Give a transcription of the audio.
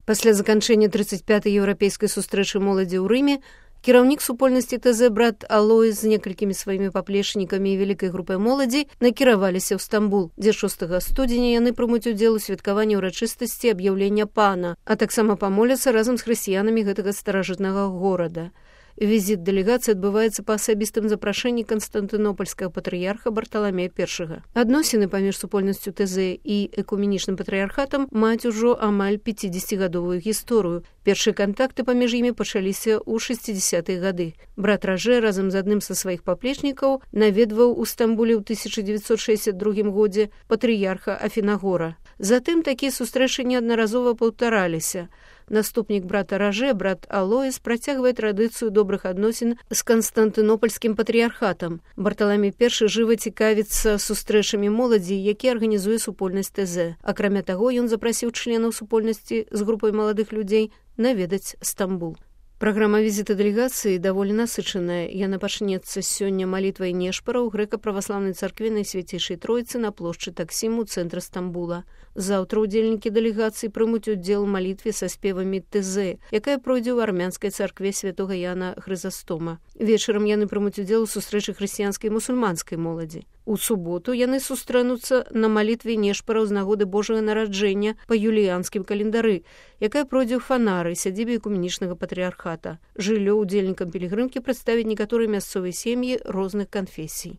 Пасля заканчэння 35-й еўрапейскай сустрэчы моладзі ў Рыме кіраўнік супольнасці ТЗ брат Алоіс з некалькімі сваімі паплечнікамі і вялікай групай моладзі накіраваліся ў Стамбул, дзе 6 студзеня яны прымуць удзел у святкаванні ўрачыстасці аб'яўлення пана, а таксама памоляцца разам з хрысціянамі гэтага старажытнага горада. Візіт дэлегацыі адбываецца па асабістым запрашэнні канстантынопольскага патрыярха Барталамея I. Адносіны паміж супольнасцю ТЗ і экуменічным патрыярхатам маюць ужо амаль 50-гадовую гісторыю. Першыя кантакты паміж імі пачаліся ў 60-е гады. Брат Ражэ разам з адным са сваіх паплечнікаў наведваў у Стамбуле ў 1962 годзе патрыярха Афінагора. Затым такія сустрэчы неаднаразова паўтараліся. Наступнік брата Ражэ, брат Алоіс, працягвае традыцыю добрых адносін з канстантынопольскім патрыярхатам. Барталамей I жыва цікавіцца сустрэчамі моладзі, які арганізуе супольнасць ТЗ. Акрамя таго, ён запрасіў членаў супольнасці з групай маладых людзей наведаць Стамбул. Праграма візіта дэлегацыі даволі насычаная. Яна пачнецца сёння малітвай Нешпара ў грэка-праваслаўнай царкве Найсвяцейшай Тройцы на плошчы Таксім у цэнтры Стамбула. Заўтра ўдзельнікі дэлегацыі прымуць удзел у малітве са спевамі ТЗ, якая пройдзе ў армянскай царкве святога Яна Хрызастома. Вечарам яны прымуць удзел у сустрэчы хрысціянскай і мусульманскай моладзі. У суботу яны сустрэнуцца на малітве Нешпара з нагоды Божага нараджэння па юліянскім календары, якая пройдзе ў Фанары, сядзібе экуменічнага патрыярхата. Жыллё ўдзельнікам пілігрымкі прадставяць некаторыя мясцовыя сем'і розных канфесій.